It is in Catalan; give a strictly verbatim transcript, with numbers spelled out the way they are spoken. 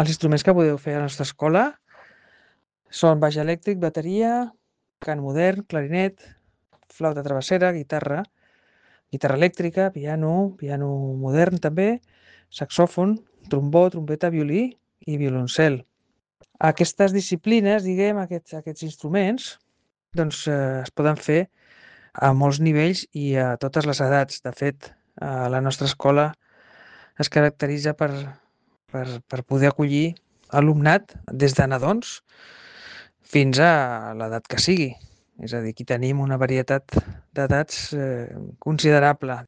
Els instruments que podeu fer a la nostra escola són baix elèctric, bateria, cant modern, clarinet, flauta travessera, guitarra, guitarra elèctrica, piano, piano modern també, saxòfon, trombó, trompeta, violí i violoncel. Aquestes disciplines, diguem, aquests, aquests instruments, doncs eh, es poden fer a molts nivells i a totes les edats. De fet, a la nostra escola es caracteritza per, per, per poder acollir alumnat des de nadons fins a l'edat que sigui. És a dir, aquí tenim una varietat d'edats eh, considerable.